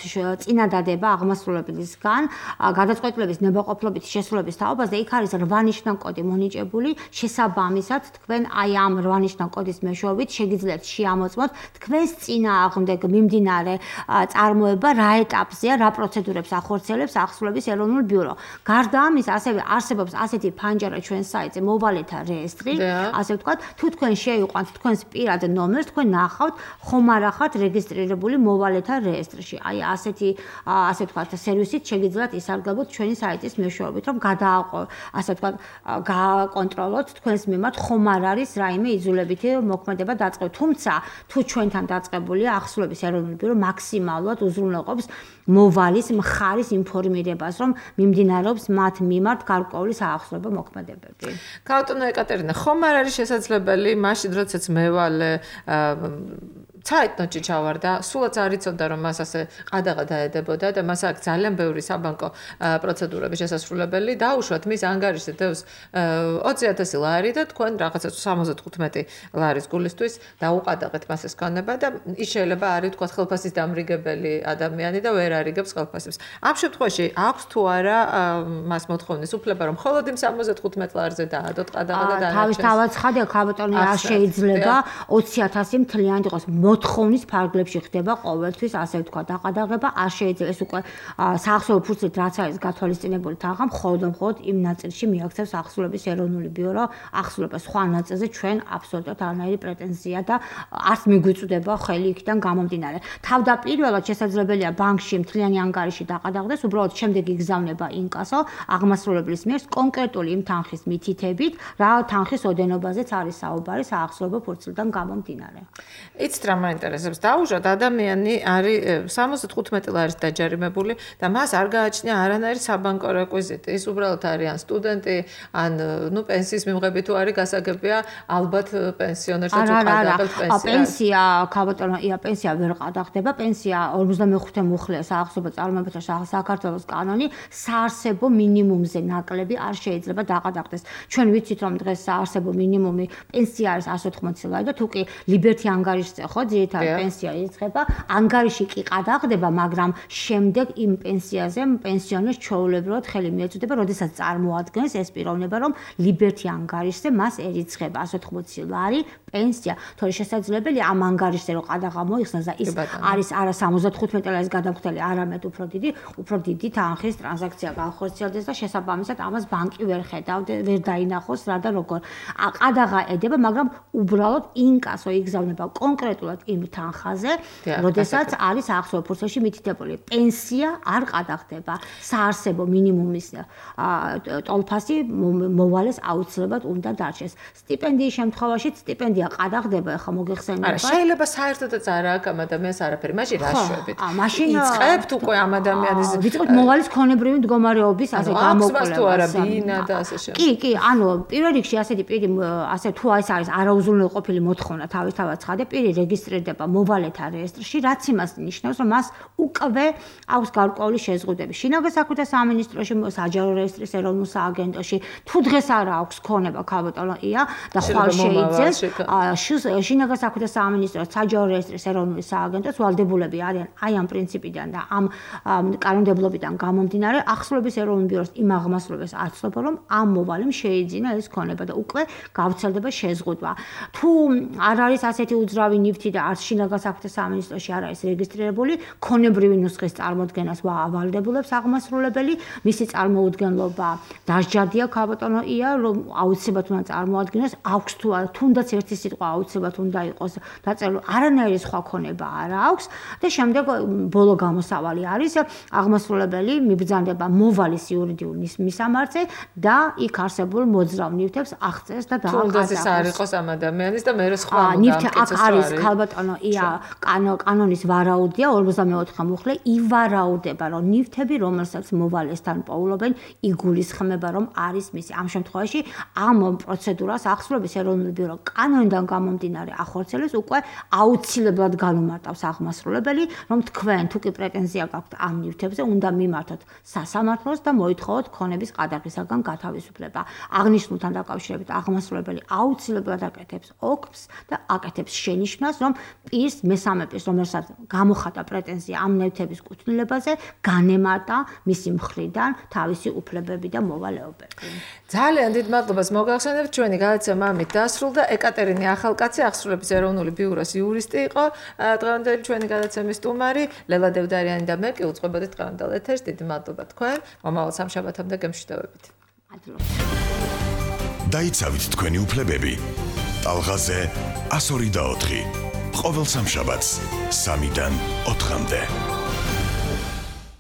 წინადადება აღმასრულებლისგან, გადაწყვეტილების ნებაყოფლობით შესრულების თაობაზე, იქ არის 8 ნიშნა კოდი მონიჭებული, შესაბამისად თქვენ აი ამ 8 ნიშნა კოდის მეშვეობით შეგიძლიათ შეამოწმოთ თქვენს წინააღმდეგ მიმდინარე წარმოება რა ეტაპზეა, რა პროცედურებს ახორციელებს აღსრულების ეროვნულ ბიურო. გარდა ამისა, ასევე არსებობს ასეთი ფანჯარა ჩვენ საიტზე მოვალეთა რეესტრი, ასე ვთქვათ, თუ თქვენ შეიყვანთ თქვენს პირად ნომერს, თქვენ ნახავთ ხომ არ ახართ რეგისტრირებული მოვალეთა რეესტრში. აი ასე ვთქვათ, სერვისით შეგიძლიათ ისარგებლოთ ჩვენი საიტის მეშვეობით, რომ ასე ვთქვათ, გააკონტროლოთ თქვენს მიმართ ხომ არ არის რაიმე იძულებითი მოქმედება დაწყებული. თუმცა თუ ჩვენთან დაწყებულია აღსრულების ეროვნული ბიურო მაქსიმალურად უზრუნველყოფს მოვალის მხარის ინფორმირებას, რომ მიმდინარეობს მათ მიმართ გარკვეული საახსრულებო მოქმედებები. კაპიტან ეკატერინა, ხომ არ არის შესაძლებელი მაშინ, როდესაც მევალე საიტნოტში ჩავარდა, სულაც არ იცოდა, რომ მას ასე ყადაღა დაედებოდა და მას აქ ძალიან ბევრი საბანკო პროცედურების შესასრულებელი დაუშვათ მის ანგარიშზე დევს 20,000 ლარი და თქვენ რაღაცა 75 ლარის გულისთვის დაუყადაღეთ მას ეს ქონება და ის შეიძლება არის თქვა ხელფასის დამრიგებელი ადამიანი და ვერ არიგებს ხელფასებს. ამ შემთხვევაში აქვს თუ არა მას მოთხოვნის უფლება, რომ მხოლოდ იმ 75 ლარზე დაადოთ ყადაღა და დაანარჩუნოს? თავის ხადია ქალბატონი, არ შეიძლება 20,000 მთლიანად იყოს. მოთხოვნის ფარგლებში ხდება ყოველთვის, ასე ვთქვა, დაყადაღება, არ შეიძლება ეს უკვე საახსოვო ფურცლით რაც არის გათვალისწინებული თანხა, მხოლოდ იმ ნაწილში მიაქცევს აღსრულების ეროვნული ბიურო აღსრულებას. სხვა ნაწილზე ჩვენ აბსოლუტურად არანაირი პრეტენზია და არც მიგვიწვდება ხელი იქიდან გამომდინარე. თავდაპირველად შესაძლებელია ბანკში მთლიანი ანგარიში დაყადაღდეს, უბრალოდ შემდეგ იგზავნება ინკასო აღმასრულებლის მიერ კონკრეტული იმ თანხის მითითებით, რა თანხის ოდენობაზეც არის საუბარი საახსოვო ფურცლიდან გამომდინარე. იცით რა მაინტერესებს, დაუშვათ ადამიანი არის 75 ლარის დაჯარიმებული და მას არ გააჩნია არანაირი საბანკო რეკვიზიტი. ის უბრალოდ არის ან სტუდენტი, ან პენსიის მიღები თუ არის გასაგებია, ალბათ პენსიონერს თუ ყადაღებს პენსია. პენსია, ქალბატონო, პენსია ვერ ყადაღდება, პენსია 55 მუხლია საახსოვო წარმოებათა საქართველოს კანონი, საარსებო მინიმუმზე ნაკლები არ შეიძლება დაყადაღდეს. ჩვენ ვიცით რომ დღეს საარსებო მინიმუმი პენსია არის 180 ლარი და თუ კი ლიბერთი ანგარიშზე ხო ძირითადად პენსია ირიცხება, ანგარიში კი ყადაღდება, მაგრამ შემდეგ იმ პენსიაზე პენსიონერს ჩვეულებრივად ხელი მიეწოდება, როდესაც წარმოადგენს ეს პიროვნება, რომ ლიბერთი ანგარიშზე მას ერიცხება 180 ლარი პენსია. თორე შესაძლებელია ამ ანგარიშზე რომ ყადაღა მოიხსნას და ის არის არა 75 ლარის გადამხდელი, არამედ უფრო დიდი თანხის ტრანზაქცია განხორციელდეს და შესაბამისად ამას ბანკი ვერ ხედავდა, ვერ დაინახოს რა და როგორ. ყადაღა ედება, მაგრამ უბრალოდ ინკასო იგზავნება კონკრეტულად ვარაუდობთ იმ თანხაზე, როდესაც არის ახსოვე ფურცელში მითითებული პენსია არ ყადაღდება, საარსებო მინიმუმის ტოლფასი მოვალეს აუცილებლად უნდა დარჩეს. სტიპენდიის შემთხვევაში სტიპენდია ყადაღდება, ახლა მოგეხსენებათ. არა, შეიძლება საერთოდაც არ აქვს ამ ადამიანს არაფერი, მაშინ რა შვებით? მაშინ იწყებთ უკვე ამ ადამიანის ვიწყებთ მოვალის ქონებრივი მდგომარეობის ასე გამოკვლევას. თუ არა ბინა და ასე შემდეგ. კი, ანუ პირველ რიგში ასეთი პირი ასე თუ ეს არის არაუზრუნველყოფილი მოთხოვნა თავისთავად ცხადე პირი რეგისტრირდება მოვალეთა რეესტრში, რაც იმას ნიშნავს, რომ მას უკვე აქვს გარკვეული შეზღუდვები. შინაგან საქმეთა სამინისტროში, საჯარო რეესტრის ეროვნულ სააგენტოში, თუ დღეს არ აქვს ქონება ქალბატონო ია და ხვალ შეიძეს, შინაგან საქმეთა სამინისტროს საჯარო რეესტრის ეროვნული სააგენტოს ვალდებულები არიან აი ამ პრინციპიდან და ამ კანონმდებლობიდან გამომდინარე ახსოვების ეროვნულ ბიუროს იმ აღმასრულებას აცნობა, რომ ამ მოვალემ შეიძინა ეს ქონება და უკვე გავრცელდება შეზღუდვა. თუ არ არის ასეთი უძრავი ნივთი და არც შინაგან საქმეთა სამინისტროში არ არის რეგისტრირებული, ქონებრივი ნუსხის წარმოადგენას ვალდებულებს აღმასრულებელი, მისი წარმოუდგენლობა დასჯადია ქალბატონო ია, რომ აუცილებლად უნდა წარმოადგინოს, აქვს თუ არა, თუნდაც ერთი სიტყვა აუცილებლად უნდა იყოს დაწერილი, არანაირი სხვა ქონება არ აქვს და შემდეგ ბოლო გამოსავალი არის აღმასრულებელი მიბრძანდება მოვალის იურიდიული მისამართზე და იქ არსებულ მოძრავ ნივთებს აღწერს და თუნდაც ეს არ იყოს ამ ადამიანის და მე რა სხვა ნივთი აქ არის ქალბატონო ია კანონის ვარაუდია 54 მუხლე ივარაუდება რომ ნივთები რომელსაც მოვალესთან პოულობენ იგულისხმება რომ არის მისი ამ შემთხვევაში ამ პროცედურას ახსოვების ეროვნული ბიურო კანონიდან გამომდინარე ახორციელებს უკვე აუცილებლად განუმარტავს აღმასრულებელი რომ თქვენ თუ კი პრეტენზია გაქვთ ამ ნივთებზე უნდა მიმართოთ სასამართლოს და მოითხოვოთ ქონების ყადაღისაგან გათავისუფლება აღნიშნულთან დაკავშირებით აღმასრულებელი აუცილებლად აკეთებს ოქს და აკეთებს შენიშვნას რომ პირს მესამე პირს რომელსაც გამოხატა პრეტენზია ამ ნივთების კუთვნილებაზე განემარტა მისი მხრიდან თავისი უფლებები და მოვალეობები. ძალიან დიდ მადლობას მოგახსენებთ ჩვენი გადაცემა ამით დასრულდა. ეკატერინე ახალკაცი ახსრულების ეროვნული ბიუროს იურისტი იყო დღევანდელი ჩვენი გადაცემის სტუმარი. ლელა დევდარიანი და მე კი უწყობოდით დღევანდელ ეთერს. დიდი მადლობა თქვენ. მომავალ სამშაბათამდე გემშვიდობებით. მადლობა. დაიცავით თქვენი უფლებები. ტალღაზე 102 და 4. ყოველ სამშაბათს 3-დან 4-მდე.